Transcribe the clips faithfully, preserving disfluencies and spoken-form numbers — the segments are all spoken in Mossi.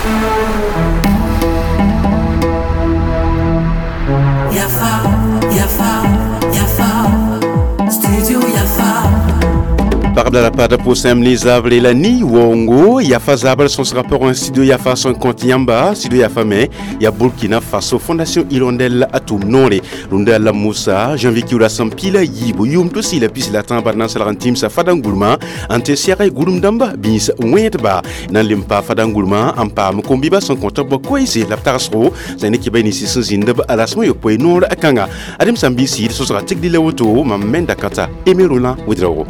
Yafa, Yafa, Yafa, Studio Yafa. Pagb la pa pʋsẽm ne zabre la ni wongo Yafa zabr sõsgã pʋgẽ studio Yafa sẽn kõt yãmba studio Yafa me ya Burkina Faso Fondation Hirondelle a tʋʋm noore rũndã la Musa janvier kiuda sẽn pila yiibu yʋʋm to sɩ la pis la tãab na n salg n tĩmsa fadangurmã n tɩ sɛg gũrem dãmba bĩis wẽedba na n lem pa fadangurmã n paam kom-bɩbã sẽn kõt b koeese la b tagsgo sã ne kɩba ninsi sẽn zĩnd b rasmã yopoe noor kãnga adem sã n bɩ sɩɩd sõsga tigdi la woto mam menda kãta Aimé Roland Ouedraogo.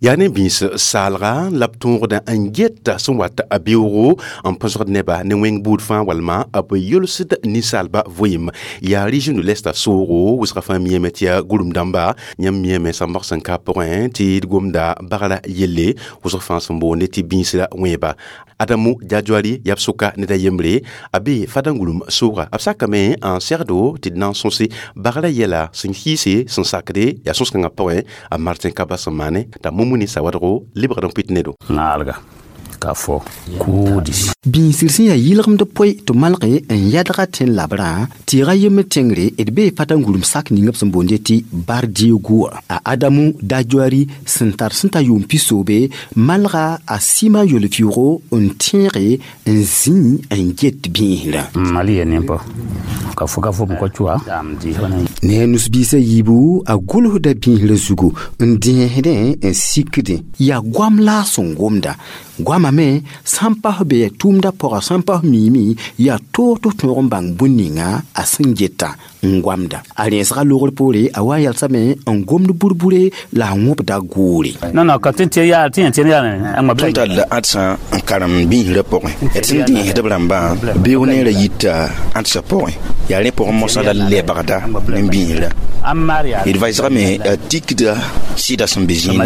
Yaa ne bĩis saalga la b tõogda n geta sẽn wat a beoogo n põsgd neba ne wẽng buud fãa walma b yʋlsd ninsaalba vɩɩm yaa région de l'est soogo wʋsga fãa miame tɩ yaa gũrem dãmba yãmb miame sãmbg sẽn ka pʋgẽ tɩ d gomda bagra yelle wʋsg fãa sẽn boonde tɩ bĩisra wẽeba Adamu Djadjouari yaa b sʋka ned a yembre a be fadangulum sooga b sakame n segdo tɩ d na n sõse bagra yɛla sẽn hiise sẽn sakde yaa sõs-kãngã pʋgẽ a Martin Kaba sẽn maane t'a Mumuni Sawadgo lebgd n pʋɩt nedo. Naalga ka fo kuudi bĩisr sẽn yaa yɩlgemd poe tɩ malge n yɛdga tẽn labrã tɩɩga yembr tẽngre d bee fatangurem sak ning b sẽn boonde tɩ Bardiégo a Adamu Djadjouari sẽn tar sẽn ta yʋʋm pisoobe malga a sɩma yol-vɩʋgo n tẽege n zĩ n get bĩisrã mali ye nimpo ka fo ka fo ko chua ne a nus-biisã yiibu a gʋlsda bĩisrã zugu n dẽesdẽ n sikdẽ yaa goam la a sẽn gomda goamã me sãn pas be tʋʋmdã pʋga sãn pas miime yaa toog tɩ tõog n bãng bũn ninga a sẽn geta n goamda a rẽesga logr poore a wa n yalsame n gomd burbure la a wõbda goore. Non non ka tɩ tɩ yaa tɩ tɩ yaa n tõnd tall ãdsã n karem bĩisrã pʋgẽ d sẽn dẽesd b rãmbã beoog neerã yita ãdsã pʋgẽ yaa rẽ pʋgẽ mosã la lebgda ne bĩisrã d vaɩsgame a tikda sɩda sẽn be zĩig.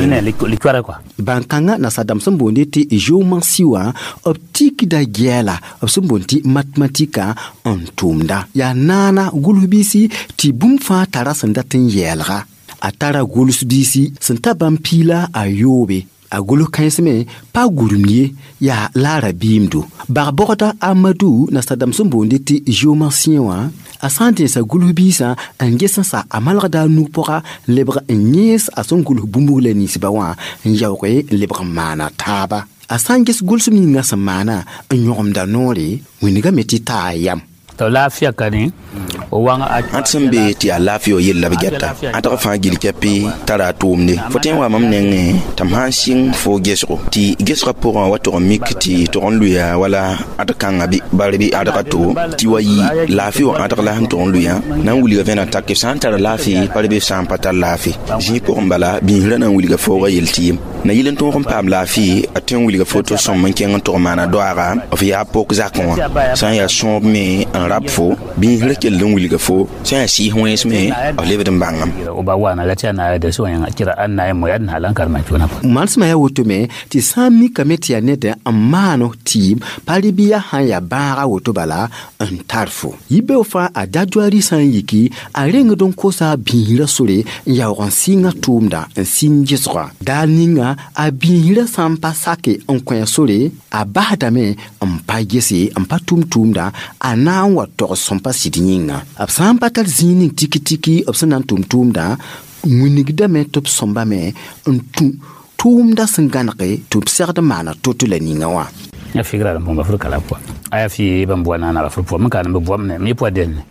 Bãn-kãngã nasadãmb sẽn boonde tɩ géomancie wã b tikda gɛɛla b sẽn boond tɩ matematika n tʋʋmda yaa naana gʋls-biisi tɩ bũmb fãa tara sẽn dat n yɛɛlga a tara gʋls-biisi sẽn ta bãmb piila a yoobe a gʋls kãens me pa gũrem ye yaa laara biimdo bag-bɔgda Amadou nasadãmb sẽn boonde tɩ géomancien wã a sã n dẽesa gʋls-biisã n ges n sa a malgda a nug pʋga lebg n yẽes a sẽn gʋls bũmb la ninsba wã n yaoog n lebg n maana taaba a sã n ges gʋlsem ninga sẽn maana n yõgemda noore wĩnigame tɩ taa yam. To lafiya ka ne o wãng ãd sẽn be tɩ yaa laafɩ wa yell la b gɛta ãdg fãa gil kɛpɩ tara a tʋʋmde fo tõe n wa mam nengẽ tɩ m sã n sɩng fo gesgo tɩ gesgã pʋgẽ wa tʋg n mik tɩ tʋg n lʋya wala ãd kãngã bɩ bar bɩ ãdga to tɩ wa yɩ laafɩ wã ãdg la sẽn tʋg n lʋyã na n wilga vẽna tak b sã n tara laafɩ pa bɩ b sã n pa tar laafɩ zĩig pʋgẽ bala bĩisrã na n wilga fooga yel tɩ yem na yɩl n tõog n paam laafɩ a tõe n wilga fo tɩ sõm n kẽng n tʋg maana doaaga f yaa pok zakẽ wã sã n yaa sõob me n rab fo bĩisrã kell n wilga fo sã n yaa sɩɩs wẽns me b lebd n bãngame. Manesmã yaa woto me tɩ sã n mikame tɩ yaa ned n maan tɩɩm pa rɩ bɩ yaa sã n yaa bãaga woto bala n tar fo yibeoog fãa a Djadjouari sã n yiki a rengd n kosa bĩisrã sore n yaoog n sɩnga tʋʋmda n sɩng gesga daar ninga a bĩisrã sã n pa sake n kõ sore a basdame n pa gese n pa tʋm tʋʋmda a na n wa togs sẽn pa sɩd yĩnga b sã n pa tar zĩig ning tiki-tiki b sẽn na n tʋm tʋʋmda wĩnigdame tɩ b sõmbame n tũ tʋʋmda sẽn gãnege tɩ b segd n maana to-to la ninga wã. Ya figra la mbonga fur kala pʋa a yaa fɩ bãmb bʋa naana fur pʋa m ka n b bʋam ne mi pʋa denne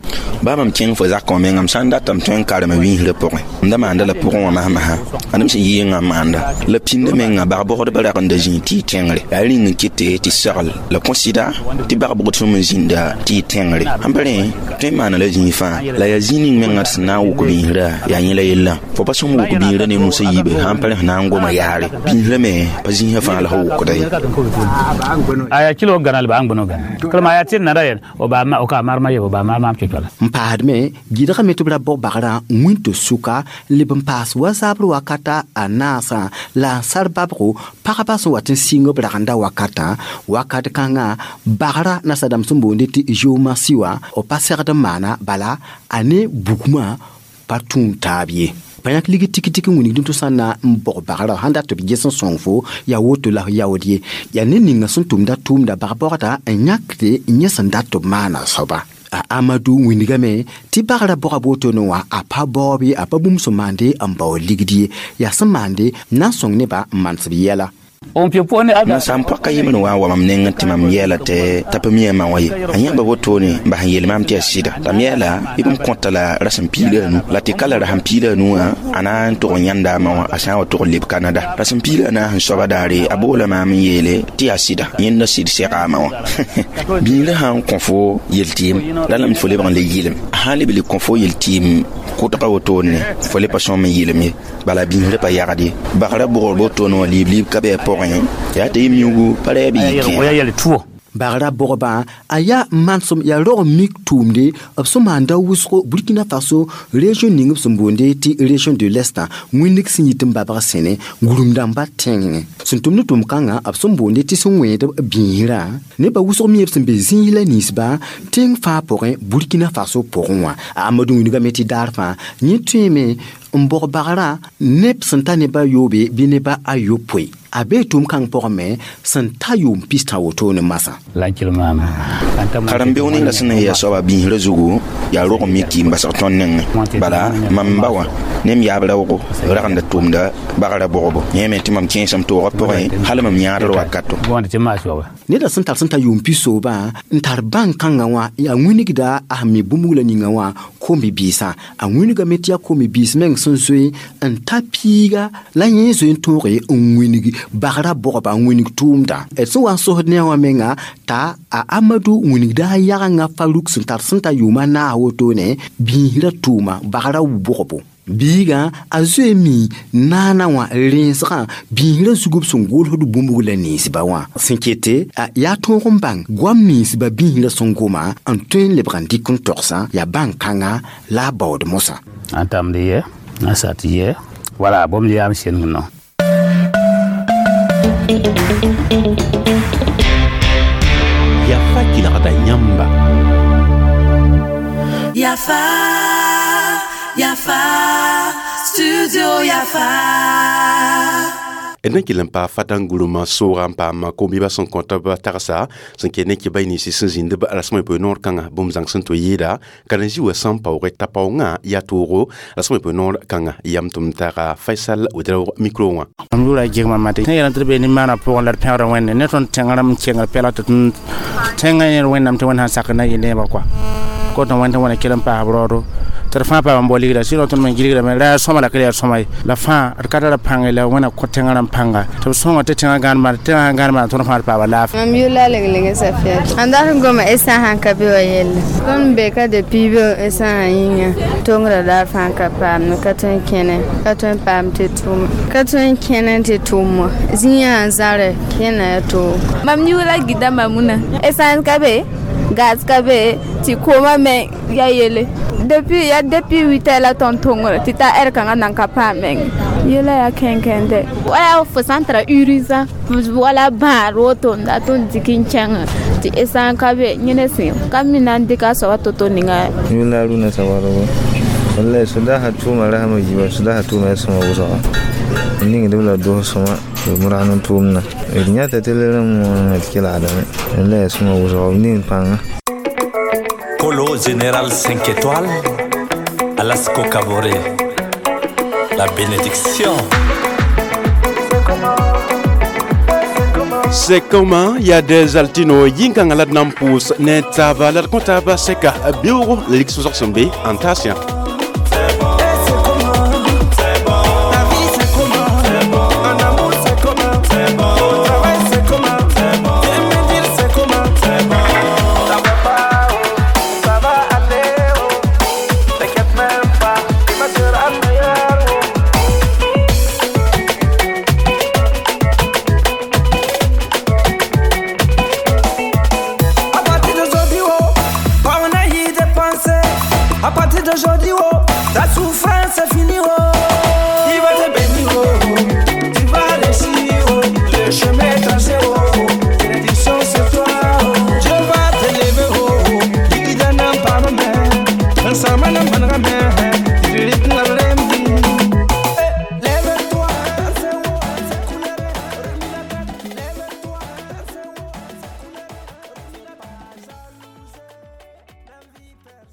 baa mam kẽng fo zakã wã mengã m sã n datame tõe n karema wĩisrã pʋgẽ m da maanda la pʋgẽ wã masmasã ãdem sẽn yɩɩngã n maanda la pĩndã mengã bag-bogdbã rag n da zĩig tɩ y tẽngre yaa rĩng n kɩte tɩ segl la kõ sɩda tɩ bag-bogd sõm n zĩnda tɩ y tẽngre sãn pa rẽ tõe n maana la zĩig fãa la yaa zĩig ning mengã tɩ sẽn na n wʋk bĩisrã yaa yẽ la yellã fo pa sõm wʋk bĩisrã ne nusã yiibe sãn pa rẽ sẽn na n goma yaare bĩisrã me pa zĩisã fãa la f wʋkda ye. Aya kilo gana ba angbono gana kalma ya tin na rayen o ba ma o ka marma ye o ba marma am chochola n paasdme gɩdgame tɩ b ra bog bagrã wĩntõ sʋka leb n paas wa zabr wakata a naasã la n sar babgo pagba sẽn wat n sɩng b ragenda wakatã wakat kãngã bagrã nasadãmb sẽn boonde tɩ géomancie wã b pa segd n maana bala a ne bugmã pa tũud taab ye. Pa yãk ligi tiki-tiki wĩnigdẽ tɩ sã n na n bog bagrã sãn dat tɩ b ges n sõng fo yaa woto la f yaood ye yaa ned ninga sẽn tʋmda tʋʋmda bag-bogda n yãkde yẽ sẽn dat tɩ b maana soaba. A Amadu wĩnigame tɩ bagrã bogã wotone wã a pa baoob ye, a pa bũmb sẽn maande n baood ligd ye, yaa sẽn maande n na n sõng nebã n manes b yɛla. Nansam pɔka yembre wã n wa mam nengẽ tɩ mam yɛɛla tɩ t'a pa mi a ma wã ye. A yãmba wotone n bas n yeel maam tɩ yaa sɩda la m yɛɛla b m kõta la rasem piig la anu la tɩ ka la rasem piig la anu wã a na n tʋg n yãnda a ma wã a sã n wa tʋg n leb Kanada rasem piig la anaas n soaba daare a boola maam n yeele tɩ yaa sɩda yẽnda sɩd sɛga a ma wã. Biigrã sã n kõ fo yel-tɩɩm la lame fo lebg n le yɩlem, a sã n leb le kõ fo yel-tɩɩm kʋtga wotone fo le pa sõm n yɩlem ye, bala biisrã pa yagd ye. Bagrã bʋgr wotone wã liib-liib ka bɩ a pʋgẽ yaa tɩ y miugu pa ra b yɩ kẽ. Bagrã bogba a yaa manesem yaa rog n mik tʋʋmde b sẽn maanda wʋsgo Burkina Faso région ning b sẽn boonde tɩ région de l'Est wĩnnig sẽn yit n babg sẽne gũrumdãmba tẽngẽ sẽn tʋmd tʋʋm kãngã b sẽn boonde tɩ sẽn wẽed b biisrã nebã wʋsg me b sẽn be zĩig la ninsba tẽng fãa pʋgẽ Burkina Faso pʋgẽ wã. A Amadu wĩnigame tɩ daar fãa yẽ tõeme n bog bagrã neb sẽn ta nebã yoobe bɩ nebã a yopoe a bee tʋʋm kãng pʋgẽ me sẽn ta yʋʋm pistã wotone masã. Karen-beoog ninga sẽn na n yaa soaba biisrã zugu yaa rog n mi tɩ n basg tõnd nengẽ, bala mam ba wã ne m yaab raoogo ragenda tʋʋmda bagrã bogbo yẽ me tɩ mam kẽesem toogã pʋgẽ hal mam yãadr wakato. Neda sẽn tar sẽn ta yʋʋm pisoobã n tar bãn-kãngã wã a wĩnigda a sẽn mi bũmb la ninga wã kom-biisã a wĩnigame tɩ yaa kom-biis meng sẽn zoe n ta piiga la yẽ zoe n tõoge n wĩnig bagrã bogba n wĩnig tʋʋmda d sẽn wa n sosd ne wã menga t'a a Amadu wĩnigda a yagengã Faruk sẽn tar sẽn ta yʋʋma naas wotone biisrã tʋʋma bagrã bogbo. Biigã a zoe mi naana wã rẽnsgã biisrã zug b sẽn gʋlsd bũmb la ninsba wã sẽn kete yaa tõog n bãng goam ninsba biisrã sẽn goma n tõe n lebg n dɩk n togsã yaa bãn-kãngã la a baood mosã. N tamd ye n sat ye wala bõmb yaam sẽng no. Yafa kelgda yãmba. Yafa, Yafa, Studio Yafa. D na kell n paa fatãn gurumã soogã n paam kom-bɩbã sẽn kõ tɩ b tagsa sẽn ket ne kɩba ninsi sẽn zĩnd b rasem a yopoe noor kãngã bũmb zãng sẽn tɩ yɩɩda karen-zĩ wã sẽn paooge t'a paoongã yaa toogo rasem a yopoe noor kãngã yam tʋm taga Faisal Ouedraogo micro wã. Mam yʋʋra gɩgma mate sẽn yeelã tɩ d bee nin-maanã pʋgẽ la d pẽgda Wẽnde ne tõnd tẽng rãmb n kengr pɛlg tɩ tẽngã yẽr Wẽnnaam tɩ Wẽnd sãn sak na yɩ neebã kɔa kot n wẽnd tɩ wẽna kell n paas b raoodo tɩ d fãa paam n bao ligda sɩd tõnd me gilgdame ra yaa sõma la ka yaa sõma ye la fãa d ka tara pãnge la wẽna kõ tẽngã rãmb pãnga tɩ b sõnga tɩ tẽngã gãan maan tẽngã sãn gãan maan tõnd fãa d paama laafɩ. Mam yʋla leng-leng Safiat ãn dat n goma essã sãn ka be wa yelle tõnd be ka depuis be essã sã yĩnga tongrã daar fãa ka paam ka tõe n kẽne ka tõe n paam tɩ tʋʋma ka tõe n kẽne tɩ tʋʋm wã zĩigã sã zãre kẽna yaa toogo. Mam yʋʋla Gida Mamuna essence ka be gaz ka be tɩ koomã me yaa yele depuis ya depuis huit heures la tõnd tõngre tɩ ta heure kãngã nan ka paam meng yela yaa kẽnkẽnde wala fo sã n tara urgent wala bãad woto n dat n dɩk n kẽngẽ tɩ essence ka be yẽne sẽn ka mina n dɩka a soaba to-to ninga. Yʋla Aruna Sawadogo wallahi su daha tʋʋma rasma yiiba su daha tʋʋma yaa sõma wʋsga n ningd b la dos sõma b rag n tʋʋmdã d yãta tɩ la rãmb d kelgdame la yaa sõma wʋsga b ning pãnga. Polo Général cinq étoiles, Alasko Kabore, la bénédiction. C'est comment il y a des altino yinkanga la d na n pʋʋs ne taaba la d kõ taaba sɛka beoogo la lik sʋsg sẽn be n taas yã.